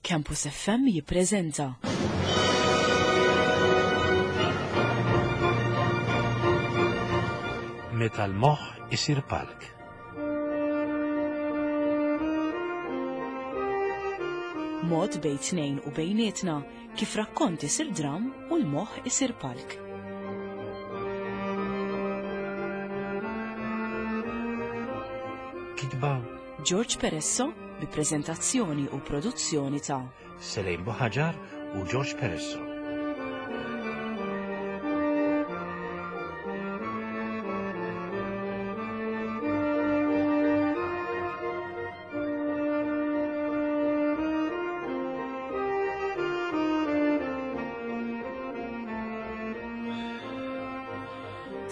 Campus FM jippreżenta. Meta l-moħħ isir palk. Mod bejn tnejn u bejnietna kif rakkont isir dram u l-moħħ isir palk. Kitba George Peresso bi preżentazzjoni u produzzjoni ta' Selejn Buħaġar u George Peresso.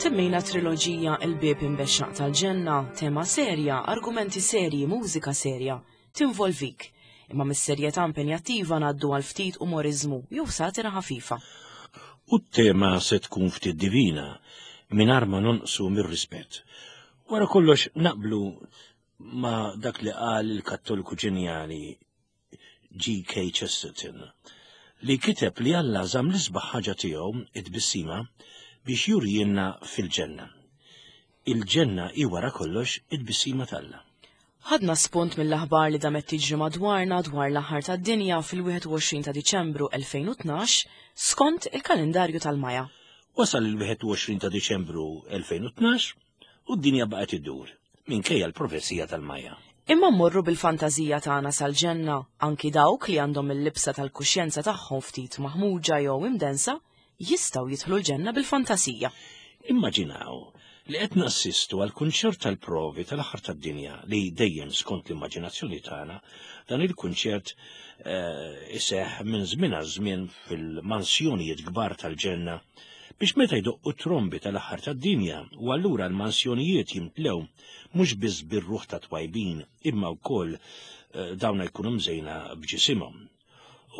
Temmejna triloġija Il-Bieb Imbexxaq tal-Ġenna, tema serja, argumenti serji, mużika serja, tinvolvik. Imma mis-serjetà impenjattiva ngħaddu għal ftit umoriżmu jew satira ħafifa. U t-tema se tkun ftit divina, mingħajr ma nonqsu mir-rispett. Wara kollox naqblu ma' dak li qal il-Kattoliku ġenjali G.K. Chesterton, li kiteb li Alla żamm l-isbaħ ħaġa tiegħu, it-tbissima, biex jurijielna fil-ġenna. Il-ġenna hi wara kollox it-tbissima t'Alla. Ħadna spunt mill-aħbar li damet tiġri madwarna dwar l-aħħar tad-dinja fil-21 ta' Diċembru 2012 skont il-kalendarju tal-Maja. Wasal il-21 ta' Diċembru 2012 U d-dinja baqgħet iddur, minkejja l-profezija tal-Maja. Imma mmorru bil-fantażija tagħna sal-ġenna, anki dawk li għandhom il-libsa tal-kuxjenza tagħhom ftit maħmuġa jew imdensa, jistgħu jidħlu l-ġenna bil-fantasija. Immaġinaw li qed nassistu għal kunċert tal-provi tal-aħħar tad-dinja li dejjem skont l-immaġinazzjoni tagħna dan il-kunċert eh, iseħħ minn żmien għal żmien fil-mansjonijiet kbar tal-ġenna biex meta jdoqqu t-trombi tal-aħħar tad-dinja u allura l-mansjonijiet jimtlew mhux biss bir-ruħ ta' twajbin imma wkoll eh, dawna jkunu mżejna b'ġisimhom.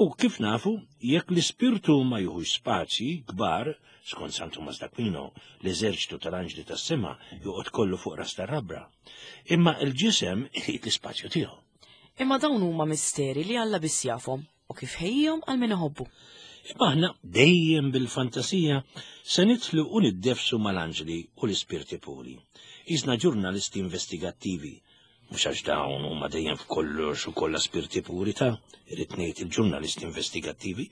U kif nafu, jekk l-ispirtu ma juħux spazji kbar, skont San Tumas d'Aquino, l-eżerċtu tal-anġli tas-sema joqgħod kollu fuq ras tar-rabra. Imma l-ġisem irid l-ispazju tiegħu. Imma dawn huma misteri li Alla biss jafhom. u kif ħejjihom għal min iħobbu. Imma aħna dejjem bil-fantasija se nidħlu u niddefsu mal-anġli u l-ispirti puri. Qisna ġurnalisti investigattivi, mhux għax dawn huma dejjem f'kollox u kollha spirti puri ta' irrid ngħid il-ġurnalisti investigattivi,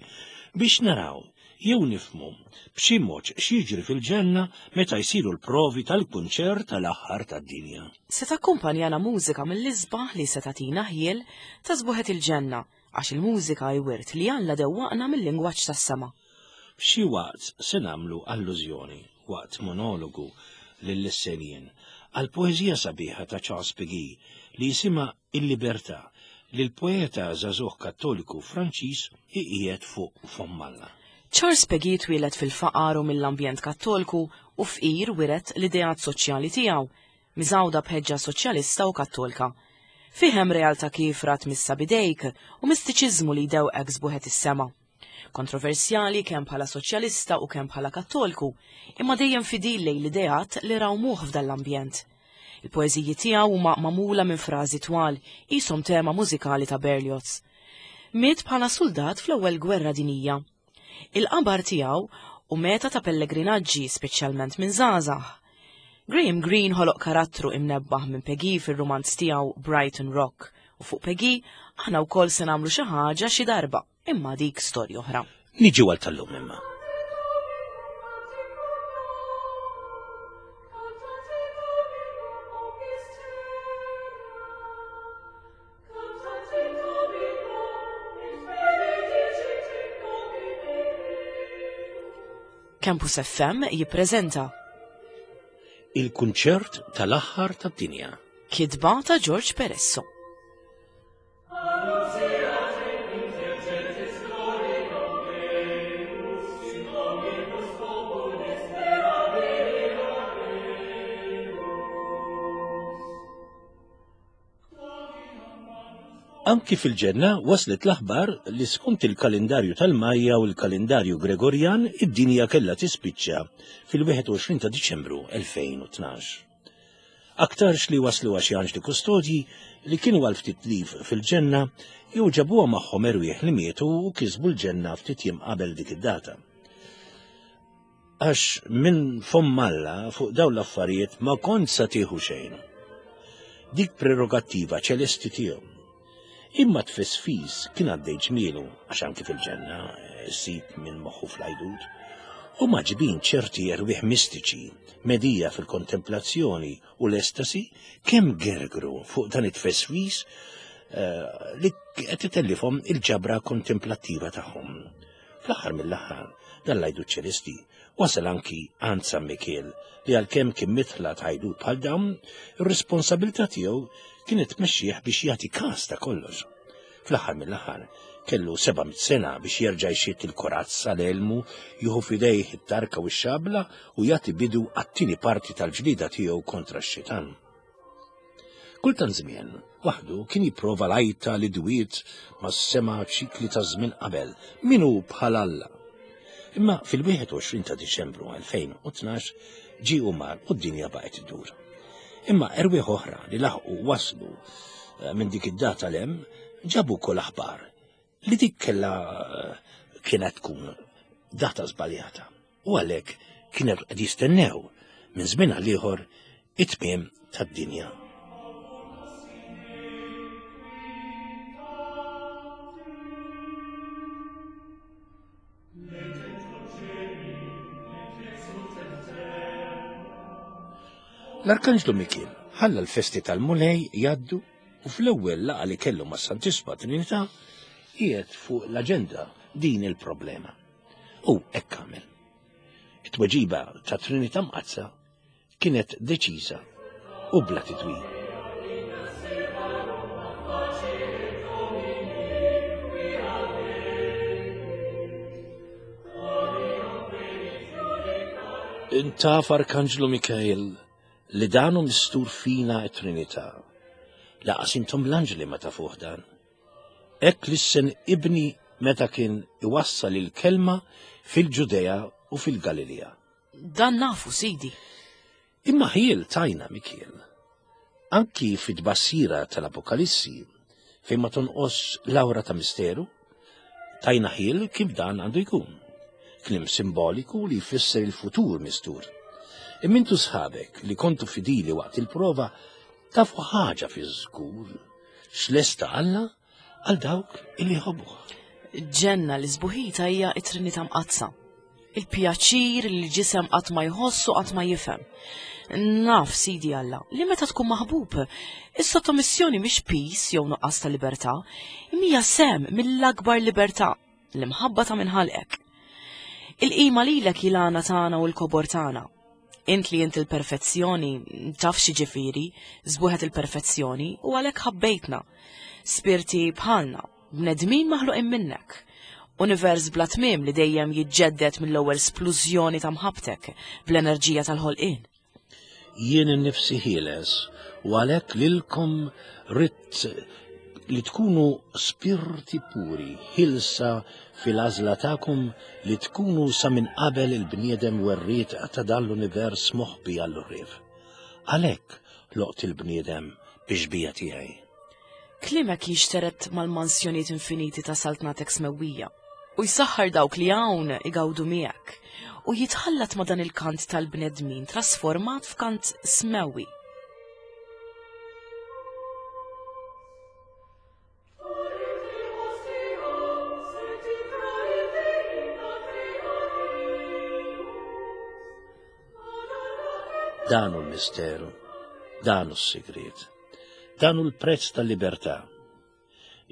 biex naraw jew nifhmu b'xi mod x'jiġri fil-ġenna meta jsiru l-provi tal-kunċert tal-aħħar tad-dinja. Se takkumpanjana mużika mill-isbaħ li se tagħtina ħjiel ta' sbuħet il-ġenna Għax il-mużika hi wirt li Alla dewwaqna mil-lingwaġġ tas-sema. F'xi waqt se nagħmlu allużjoni, waqt monologu lill-Issenjien, għall-poeżija sabiħa ta' Charles Peguy li jisimha Il-Libertà li l-poeta żagħżugħ Kattoliku Franċiż iqiegħed fuq fomm Alla. Charles Peguy twieled fil-faqar u mill-ambjent Kattolku u fqir wiret l-ideat soċjali tiegħu, miżgħuda b'ħeġġa soċjalista u kattolka. Fih hemm realtà kiefra tmissha b'idejk u mistiċiżmu li jdewqek sbuħet is-sema. Kontroversjali kemm bħala soċjalista u kemm bħala kattolku, imma dejjem fidil lejn l-ideat li rawmuh f'dan l-ambjent. Il-poeżiji tiegħu huma magħmula minn frażi twal, qishom tema mużikali ta' Berlioz. Miet bħala suldat fl-Ewwel Gwerra Dinjija. Il-qabar tiegħu hu meta ta' pellegrinaġġi speċjalment minn żgħażagħ. Graham Greene ħoloq karattru imnebbaħ minn Peggy fir-rumanz tiegħu Brighton Rock u fuq Peggy aħna wkoll se nagħmlu xi ħaġa xi darba, imma dik storja oħra. Niġu għal tal-lum imma. Campus FM jippreżenta Il-kunċert tal-aħħar tad-dinja. Kitba ta' George Peresso. Anki fil-ġenna waslet l-aħbar li skont il-kalendarju tal-Majja u l-kalendarju Gregorjan id-dinja kellha tispiċċa fil-21 ta' Diċembru 2012. Aktarx li waslu għax anġli kustodji li kienu għal ftit liv fil-ġenna jew ġabuha magħhom erwieħ li mietu u kisbu l-ġenna ftit jiem qabel dik id-data. Għax minn fomm Alla fuq dawn l-affarijiet ma kont sa tieħu xejn. Dik prerogattiva ċelesti tiegħu. Imma tfisfis kien għaddej ġmielu għax anki fil-ġenna eh, ssib minn moħħu fl-għajdut. U maġbin ċerti erwieħ mistiċi, medija fil-kontemplazzjoni u l-estasi, kemm gergru fuq dan it-tfesfis eh, li qed itellifhom il-ġabra kontemplattiva tagħhom. Fl-aħħar mill-aħħar, dan l-għajdut ċelesti wasal anki għand San Mikiel li għalkemm kien mitħla t'għajdut bħal dawn, ir-responsabilità tiegħu kienet tmexxih biex jagħti każ ta' kollox. Fl-aħħar mill-aħħar, kellu 700 sena biex jerġa' jxitt il-korazza l-elmu, jieħu f'idejh it-tarka u x-xabla u jagħti bidu għat-tieni parti tal-ġlieda tiegħu kontra x-xitan. Kultant żmien, waħdu kien jipprova l-għajta li dwiet mas-sema ċikli ta' żmien qabel, min hu bħal Alla. Imma fil-21 ta' Diċembru 2012 ġie u mar u d-dinja baqgħet iddur. Imma erwieħ oħra li laħqu waslu eh, minn dik id-data l-hemm ġabu kol aħbar li dik kellha eh, kienet tkun data żbaljata. U għalhekk kienu qed jistennew minn żmien għal ieħor it-tmiem tad-dinja. L-Arkanġlu Mikiel ħalla l-festi tal-Mulej jgħaddu u fl-ewwel laqgħa li kellu mas-Santissima Trinità qiegħed fuq l-aġenda din il-problema. U hekk għamel. It-tweġiba ta' Trinità Mqaddsa kienet deċiża u bla titwil. Intaf Arkanġlu Mikael li dan hu mistur fina t-Trinità. Laqas intom l-anġli ma tafuh dan. Hekk lissen ibni meta kien iwassal il-kelma fil-Ġudea u fil-Galilea. Dan nafu, Sidi. Imma ħiel tajna, Mikiel. Anki fit-tbassira tal-Apokalissi, fejn ma tonqos l-awra ta' misteru, tajna ħiel kif dan għandu jkun. Kliem simboliku li jfisser il-futur mistur. Imma intu sħabek li kontu fidili waqt il-prova tafu ħaġa fi żgur X'lesta Alla għal dawk illi jħobbuh. Ġenna li sbuħita hija t-Trinità Mqaddsa. Il-pjaċir li l-ġisem qatt ma jħoss u qatt ma jifhem. Naf, Sidi Alla, li meta tkun maħbub, is-sottomissjoni mhix piż jew nuqqas ta' libertà, imma hija sehem mill-akbar libertà, l-imħabba ta' min ħalqek. Il-qima lilek hi l-għana tagħna u l-kobor tagħna. Int li int il-perfezzjoni, taf x'jiġifieri, żbuħet il-perfezzjoni u għalhekk ħabbejtna. Spirti bħalna, bnedmin maħluqin minnek. Univers bla tmiem li dejjem jiġġedded mill-ewwel splużjoni ta' mħabbtek bl-enerġija tal-ħolqien. Jien innifsi ħieles u għalhekk lilkom ridt li tkunu spirti puri, ħilsa fil-għażla tagħkom li tkunu sa minn qabel il-bniedem werriet ta' dan l-univers moħbi għall-għorrief. Għalhekk ħloqt il-bniedem bix-xbieha tiegħi. Kliemek jixteret mal-mansjonijiet infiniti ta' saltnatek smewwija, u jsaħħar dawk li hawn igawdu miegħek, u jitħallat ma' dan il-kant tal-bnedmin trasformat f'kant smewwi. Dan hu l-misteru, dan hu s-sigriet. Dan hu l-prezz tal-libertà.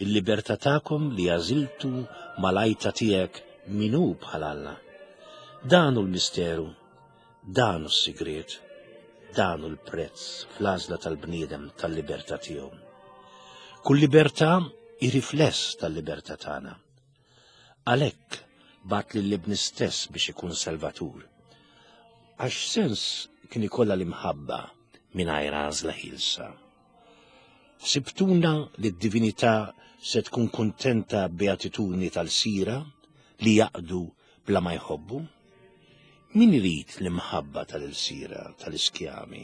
Il-libertà tagħkom li għażiltu mal-għajta tiegħek min hu bħal Alla. Dan hu l-misteru, dan hu s-sigriet, dan hu l-prezz fl-għażla tal-bniedem tal-libertà tiegħu. Kull libertà hi rifless tal-libertà tagħna. Għalhekk bagħat lil ibni stess biex ikun salvatur. Għax sens kien ikollha l-imħabba mingħajr għażla ħielsa. Ħsibtuna li d-divinità se tkun kuntenta b'beatitudni tal-sira li jaqdu bla ma jħobbu? Min irid l-imħabba tal-ilsira tal-iskjami?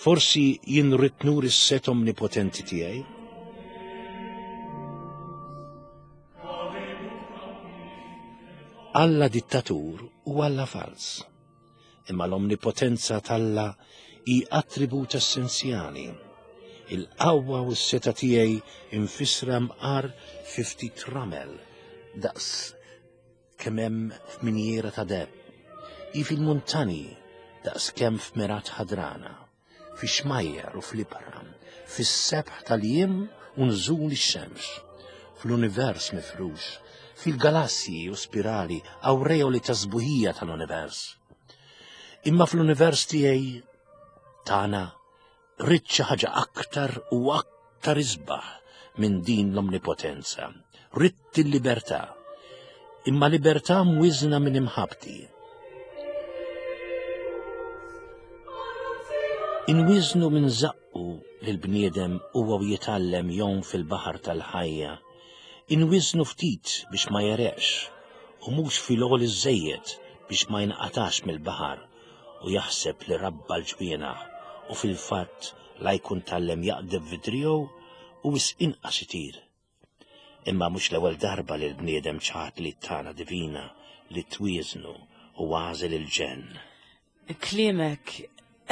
Forsi jien rrid nuri s-set omnipotenti tiegħi? Alla dittatur u Alla fals. Imma l-omnipotenza t'Alla hi attribut essenzjali. Il-qawwa u s-seta tiegħi infissra mqar fi ftit ramel daqs kemm hemm f'minjiera ta' deheb. Hi fil-muntani daqs kemm f'mergħat ħadrana, fix-xmajjar u fl-ibħra, fis-sebħ tal-jiem u nżul ix-xemx, fl-univers mifrux, fil-galassji u spirali awreoli ta' sbuħija tal-univers. Imma fl-univers tiegħi tagħna Ridt xi ħaġa aktar u aktar isbaħ minn din l-omnipotenza. Ridt il-libertà. Imma libertà mwiżna minn imħabbti. Inwiżnu minn żaqqu lil bniedem huwa u jitgħallem jgħum fil-baħar tal-ħajja. Inwiżnu ftit biex ma jereqx u mhux fil-għoli żejjed biex ma jinqatax mill-baħar u jaħseb li rabba l-ġwienaħ u fil-fatt la jkun tgħallem jaqdef fi driegħu u wisq inqas itir. Imma mhux l-ewwel darba li l-bniedem ċaħad li tana divina li twieżnu u għażel il-ġenn. Kliemek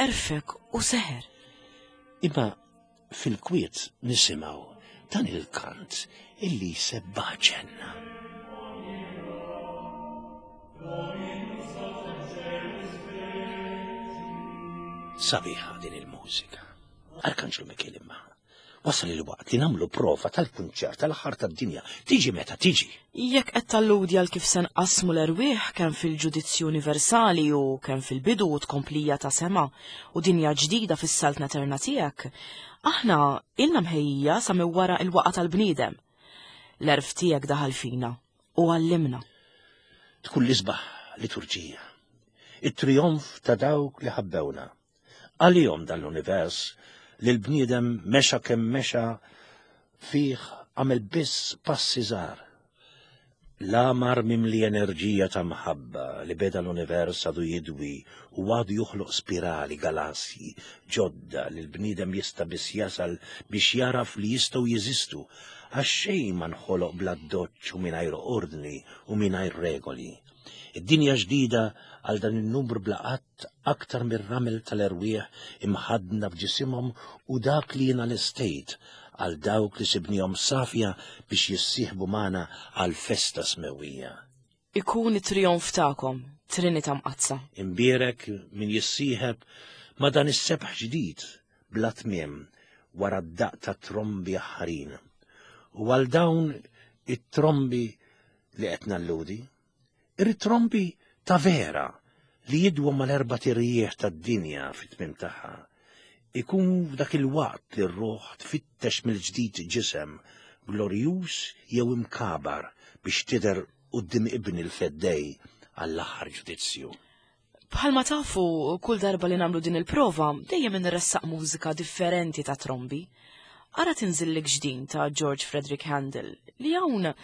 għerfek u seħer. Imma fil-kwiet nisimgħu dan il-kant illi jsebbaħ ġenna. Sabiħa din il-mużika. Arkanġlu Mikiel imma. Wasal il-waqt li nagħmlu prova tal-kunċert tal-aħħar tad-dinja. Tiġi meta tiġi. Jekk qed talludi għal kif se nqassmu l-erwieħ kemm fil-ġudizzju universali u kemm fil-bidu u tkomplija ta' sema u dinja ġdida fis-saltna eterna tiegħek, aħna ilna mħejjija sa minn wara l-waqgħa tal-bniedem. L-għerf tiegħek daħal fina u għallimna. Tkun l-isbaħ liturġija. It-trijonf ta' dawk li ħabbewna. Għalihom dan l-univers li l-bniedem mexa kemm mexa fih għamel biss passi żgħar. L-għamar mimli enerġija ta' mħabba li beda l-univers għadu jidwi u għadu joħloq spirali, galassji, ġodda li l-bniedem jista' biss jasal biex jagħraf li jistgħu jeżistu għax xejn ma nħoloq bl-addoċċ u mingħajr ordni u mingħajr regoli. Id-dinja ġdida għal dan in-numru bla għadd aktar mir-ramel tal-erwieħ imħaddna f'ġisimhom u dak li jiena lestejt għal dawk li sibnihom safja biex jissieħbu magħna għall-festa smewwija. Ikun it-trijonf tagħkom, Trinità Mqaddsa. Imbierek min jissieħeb ma' dan is-sebħ ġdid bla tmiem wara d-daqq tat-trombi aħħarin. U għal dawn it-trombi li qed nalludi, Irrid trombi ta' vera li jidwu mal-erbat irjieħ tad-dinja fit-tmiem tagħha. Ikun f'dak il-waqt li r-ruħ tfittex mill-ġdid ġisem glorjuż jew imkabar biex tidher quddiem Ibn il-Feddej għall-aħħar ġudizzju. Bħalma tafu, kull darba li nagħmlu din il-prova, dejjem inressaq mużika differenti ta' trombi. Ara tinżillek ġdin ta' George Frederick Handel li hawn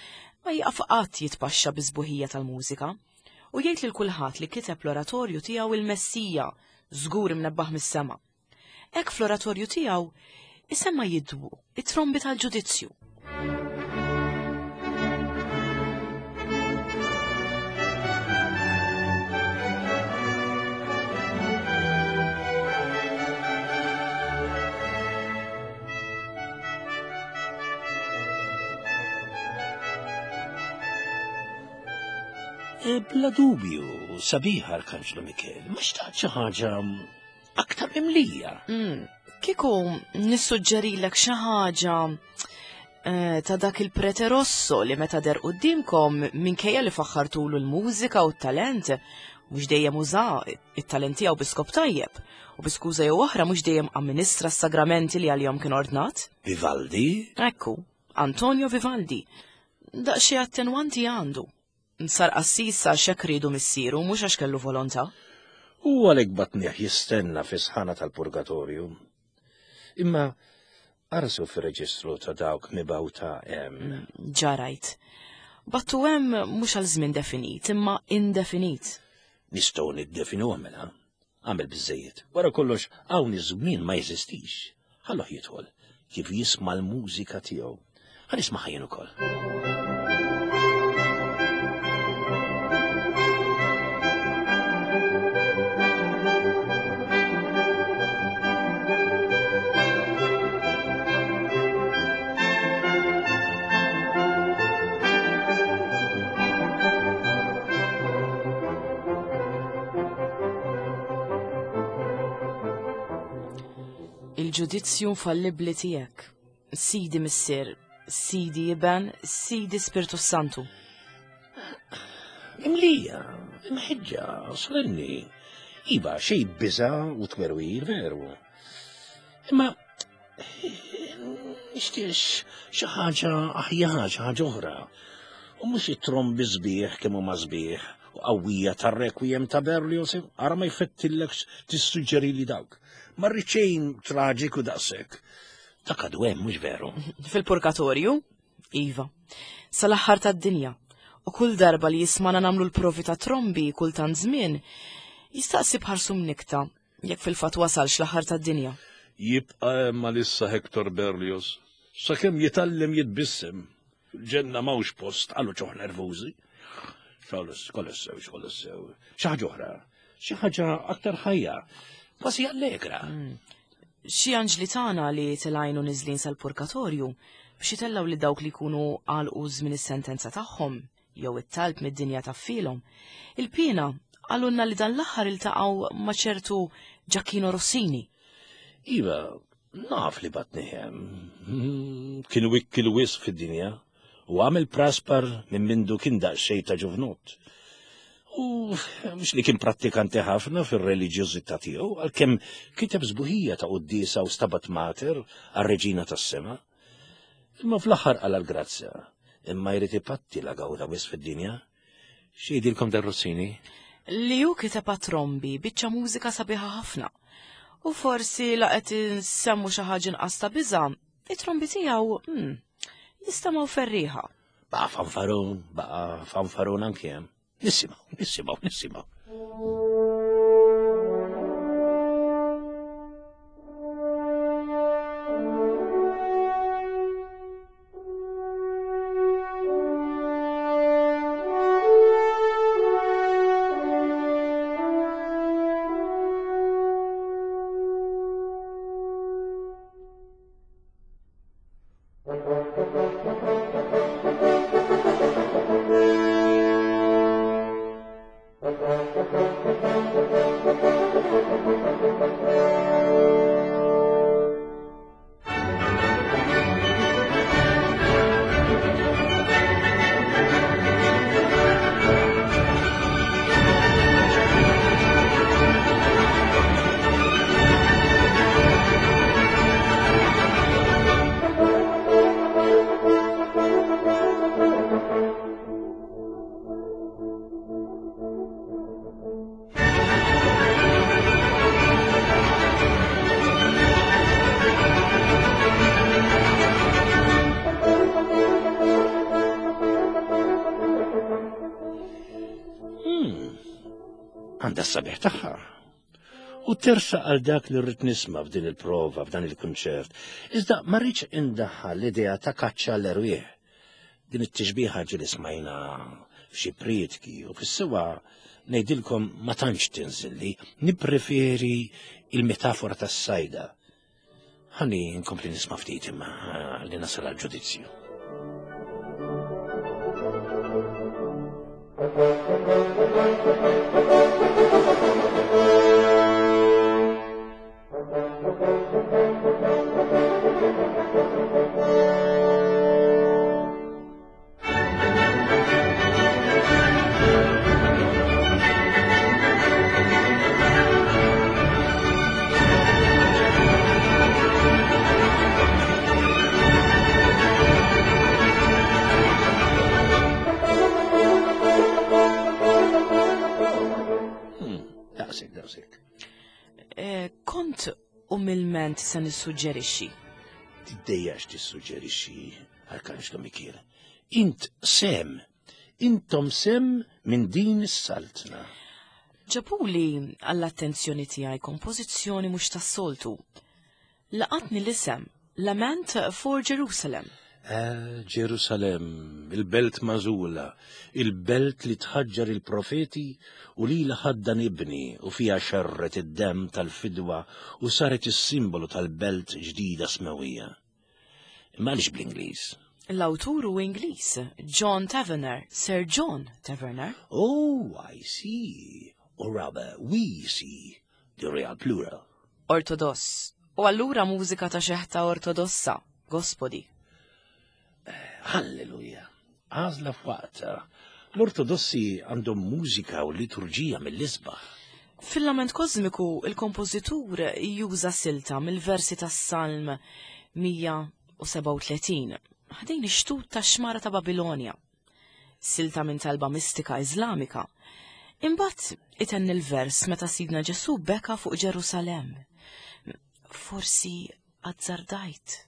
ma jieqaf qatt jitpaxxa bis-sbuħija tal-mużika u jgħid lil kulħadd li kiteb l-oratorju tiegħu il-Messija, żgur imnebbaħ mis-sema. Hekk fl-oratorju tiegħu isemma jidwu it-trombi tal-ġudizzju. E, bla dubju, sabiħa Arkanġlu Mikel, ma xtaqt xi ħaġa aktar mimlija. Mm, kieku nissuġġerilek xi ħaġa eh, ta' dak il-prete rosso li meta der qudiemkom minkejja li faħħartulu l-mużika u t-talent, mhux dejjem uża it-talent tiegħu bi skop tajjeb u bi skuża jew oħra mhux dejjem amministra s-sagramenti li għalihom kien ordnat. Vivaldi? Ekku, Antonio Vivaldi. Daqsxejn attenwanti għandu. Sar qassis għax hekk riedu missieru, mhux għax kellu volontà. U għalhekk batnieh jistenna fis-sħana tal-purgatorju. Imma arsu fir-reġistru ta' dawk mibgħuta hemm. Mm, ġarajt. Battu hemm mhux għal żmien definit, imma indefinit. Nistgħu niddefinuha mela. Għamel biżejjed. Wara kollox hawn iż-żmien ma jeżistix. Ħalluh jidħol kif jisma' l-mużika tiegħu. Ħa nismagħha jien ukoll. Il-ġudizzju infallibbli tiegħek, Sidi Missier, Sidi Iben, Sidi Spirtu Santu. Imlija, imħeġġa, solenni. Iva, xej biża u twerwir veru. Imma nixtieq xi ħaġa aħjar, xi ħaġa oħra. U mhux it-trombi sbieħ kemm huma sbieħ u qawwija tar-requiem ta' Berlioz, ara ma jfettillekx tissuġġeri li dawk. Ma rrid xejn traġiku daqshekk. Dak għadu hemm mhux veru. Fil-purgatorju? Iva. Sal-aħħar tad-dinja. U kull darba li jismana nagħmlu l-provi ta' trombi kultant żmien, jistaqsi bħarsu mnikta jekk fil-fatt wasalx l-aħħar tad-dinja. Jibqa' hemm għalissa Hector Berlioz, sakemm jitgħallem jitbissem. Fil-ġenna m'hawnx post għal uċuħ nervużi. Xogħol sew, xogħol sew. Xi ħaġa oħra, xi ħaġa aktar ħajja, kważi allegra. Hmm. Xi anġli tagħna li tilgħin u niżlin sal-purgatorju biex itellgħu li dawk li jkunu għalqu żmien is-sentenza tagħhom jew it-talb mid-dinja taffilhom. Il-piena qalulna li dan l-aħħar iltaqgħu ma' ċertu Giacchino Rossini. Iva, naf li batni hemm. Hmm, kien wikkil wisq fid-dinja u għamel praspar minn mindu kien daqsxejn ta' ġuvnut. U mhux li kien prattikanti ħafna fir-reliġjożità tiegħu, għalkemm kiteb sbuħija ta' quddiesa u stabat mater għar-Reġina tas-Sema. Imma fl-aħħar qala l-grazzja, imma jrid ipatti la gawda wisq fid-dinja. X'jgħidilkom dan Rossini? Li hu kiteb għat-trombi biċċa mużika sabiħa ħafna. U forsi la qed insemmu xi ħaġa inqas ta' biża', it-trombi tiegħu hmm, jistamgħu ferrieħa. Baqa' fanfarun, baqa' fanfarun anki hemm. Nisimgħu, nisimgħu, nisimgħu. Hmm. Għandha s-sabiħ tagħha. U tersa għal dak li rrid nisma' f'din il-prova, f'dan il-kunċert. Iżda ma rridx indaħħal l-idea ta' kaċċa l-erwieħ. Din it-tixbiha ġieli smajna f'xi prietki u fis-sewwa ngħidilkom ma tantx tinżilli, nippreferi il-metafora tas-sajda. Ħalli nkompli nisma' ftit imma li nasal għal ġudizzju. Hmm, daqsik, daqsik. Eh, kont umilment se nissuġġerixxi. Tiddejjax tissuġġerixxi, Arkanġlu Mikiel. Int sem, intom sem minn din is-saltna. Ġabuli għall-attenzjoni tiegħi kompożizzjoni mhux tas-soltu. Laqatni l-isem Lament for Jerusalem. Eh, Ġerusalem, il-belt mażula, il-belt li tħaġġar il-profeti u li ħaddan ibni u fiha xerret id-demm tal-fidwa u saret is-simbolu tal-belt ġdida smewija. Imma għaliex bl-Ingliż? L-awtur hu Ingliż, John Tavener, Sir John Tavener. Oh, I see. Or rather, we see. The real plural. Ortodoss. U allura mużika ta' xeħta ortodossa, gospodi. Halleluja. Għażla f'waqtha. L-Ortodossi għandhom mużika u liturġija mill-isbaħ. Fil-lament kosmiku, il-kompożitur juża silta mill-versi tas-Salm 137, ħdejn ix-xtut tax-xmara ta' Babilonja. Silta minn talba mistika Iżlamika. Imbagħad itenni l-vers meta Sidna Ġesù beka fuq Ġerusalemm. Forsi azzardajt.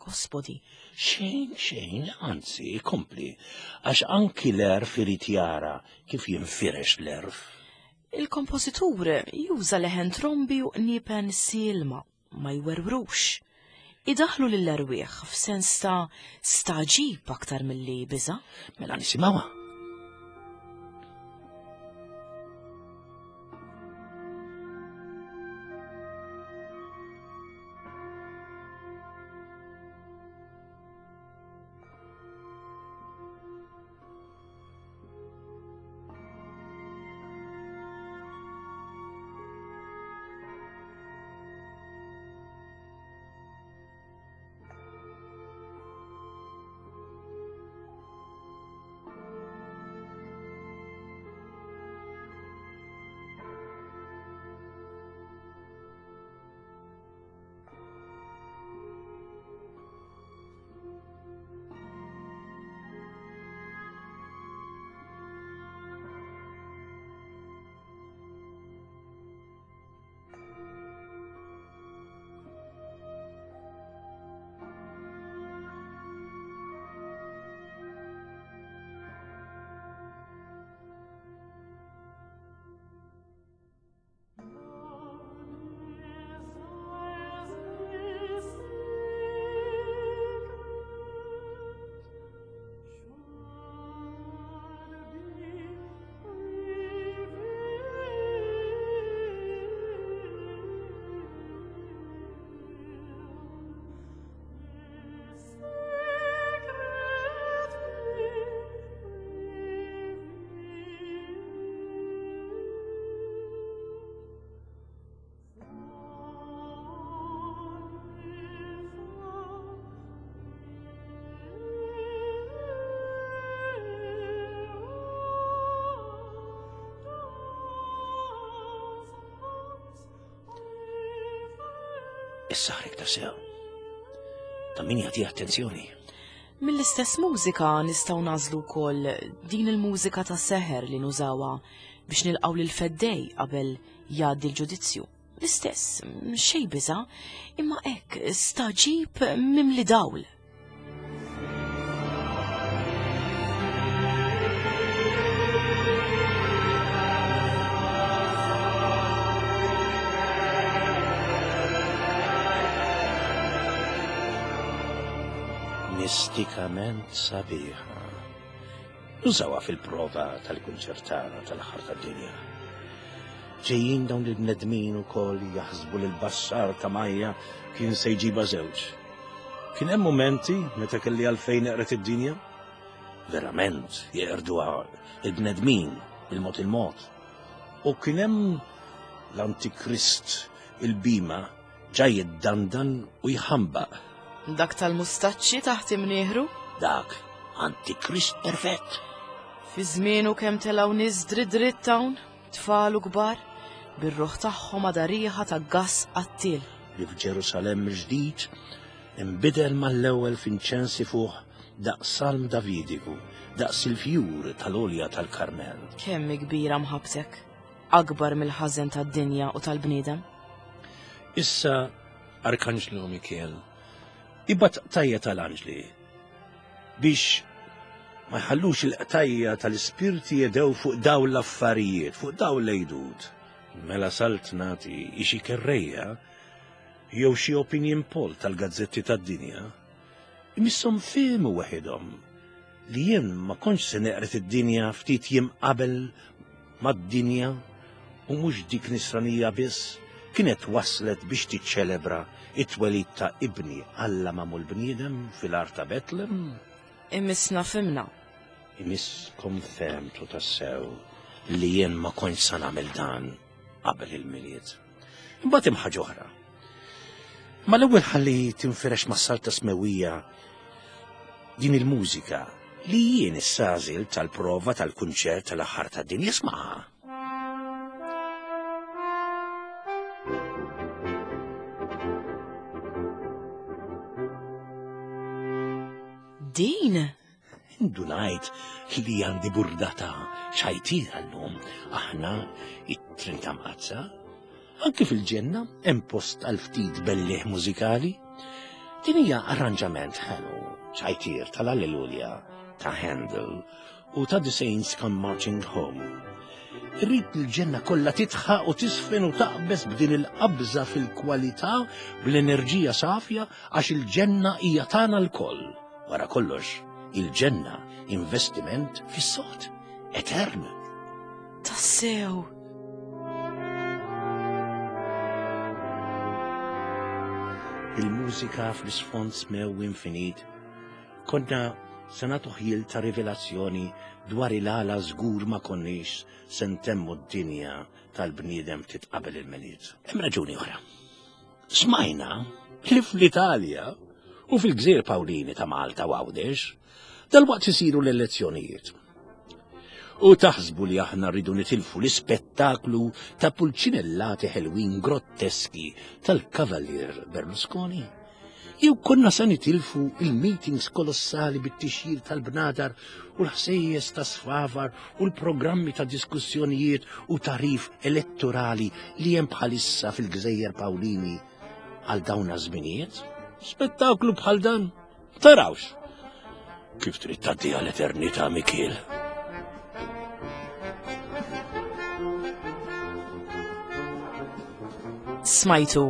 Gospodi. Xejn, xejn, anzi, kompli, għax anki l-għerf irid jara kif jinfirex l-għerf. Il-kompożitur juża leħen trombi u qniepen sielma, ma jwerwrux. Idaħħlu lill-erwieħ f'sens ta' stagħġib aktar milli biża'. Mela nisimgħuha. Issa ħrik ta' sew. Ta' min jagħti attenzjoni. Mill-istess mużika nistgħu nażlu wkoll din il-mużika ta' seħer li nużawha biex nilqgħu lil feddej qabel jgħaddi l-ġudizzju. L-istess, xejn biża', imma hekk staġib mimli dawl. Mistikament sabiħa. Nużawha fil-prova tal-kunċertana tal-aħħar tad-dinja. Ġejjin dawn il-bnedmin ukoll jaħsbu li l-bassar ta' Majja kien se jġibha żewġ. Kien hemm mumenti meta kelli għalfejn eqret id-dinja? Verament jeqirduha il-bnedmin bil-mod il-mod. U kien hemm l-Antikrist il-bima ġa jiddandan u jħambaq. Dak tal-mustaċċi taħt imnieħru? Dak, antikrist perfett. Fi żmienu kemm telgħu nies dritt dritt hawn, tfal u kbar, bir-ruħ tagħhom għadha riħa ta' gass qattiel. Li f'Ġerusalemm il-ġdid inbidel mal-ewwel f'inċens ifuħ daqs salm Davidiku, daqs il-fjur tal-għolja tal-Karmel. Kemm hi kbira mħabbtek, akbar mill-ħażen tad-dinja u tal-bniedem. Issa Arkanġlu Mikiel ibgħat qtajja tal-anġli biex Ma jħallux il-qtajja tal-ispirti jedew fuq dawn l-affarijiet, fuq dawn l-għidut. Mela saltnati hi xi kerrejja jew xi opinion poll tal-gazzetti tad-dinja. Imisshom fehmu weħidhom li jien ma kontx se neqred id-dinja ftit jiem qabel mad-dinja u mhux dik nisranija biss kienet waslet biex tiċċelebra it-twelid ta' ibni Alla magħmul bniedem fil-għar ta' Betlem. Imissna fhimna. Imisskom fehmtu tassew li jien ma kontx sa nagħmel dan qabel il-Milied. Imbagħad hemm ħaġa oħra. Ma l-ewwel ħalli tinfirex mas-salta smewwija din il-mużika li jien issa għażilt tal-prova tal-kunċert tal-aħħar tad-dinja smaha. Din? Indunajt li għandi burdata ċajtira llum. Aħna it-Trinità Mqaddsa. Anki fil-ġenna hemm post għal ftit bellieħ mużikali. Din hija arranġament ħelu, ċajtir tal-Alleluja ta' Handel u ta' The Saints Come Marching Home. Irrid li l-ġenna kollha titħaq u tisfen u taqbeż b'din il-qabża fil-kwalità bl-enerġija safja għax il-ġenna hija tagħna lkoll. Wara kollox, il-ġenna investiment fis-sod, etern. Tassew! Il-mużika fl-isfond smew infinit Konna se nagħtu ħjiel ta' rivelazzjoni dwar il-għala żgur ma konniex se ntemmu d-dinja tal-bniedem ftit qabel il-Milied. Hemm raġuni oħra. Smajna li fl-Italja u fil-Gżejjer Pawlini ta' Malta u Għawdex dalwaqt isiru l-elezzjonijiet. U taħsbu li aħna rridu nitilfu l-ispettaklu ta' pulċinellati ħelwin grotteski tal-Kavalier Berlusconi? Jew konna se nitilfu il-meetings kolossali bit-tixjir tal-bnadar u l-ħsejjes ta' sfavar u l-programmi ta' diskussjonijiet u tarif elettorali li hemm bħalissa fil-Gżejjer Pawlini għal dawn żminijiet? Spettaklu bħal dan? Tarawx! Kif trid tgħaddi għal eternità Mikiel? Smajtu.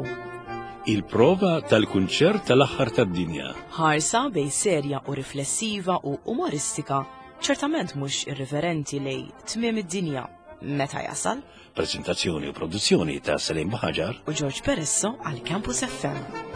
Il-prova tal-kunċert tal-aħħar tad-dinja. Ħarsa bej serja u riflessiva u umoristika, ċertament mhux irriverenti lej tmiem id-dinja meta jasal. Prezentazzjoni u produzzjoni ta' Salim Buhaġar u George Peresso għal Campus FM.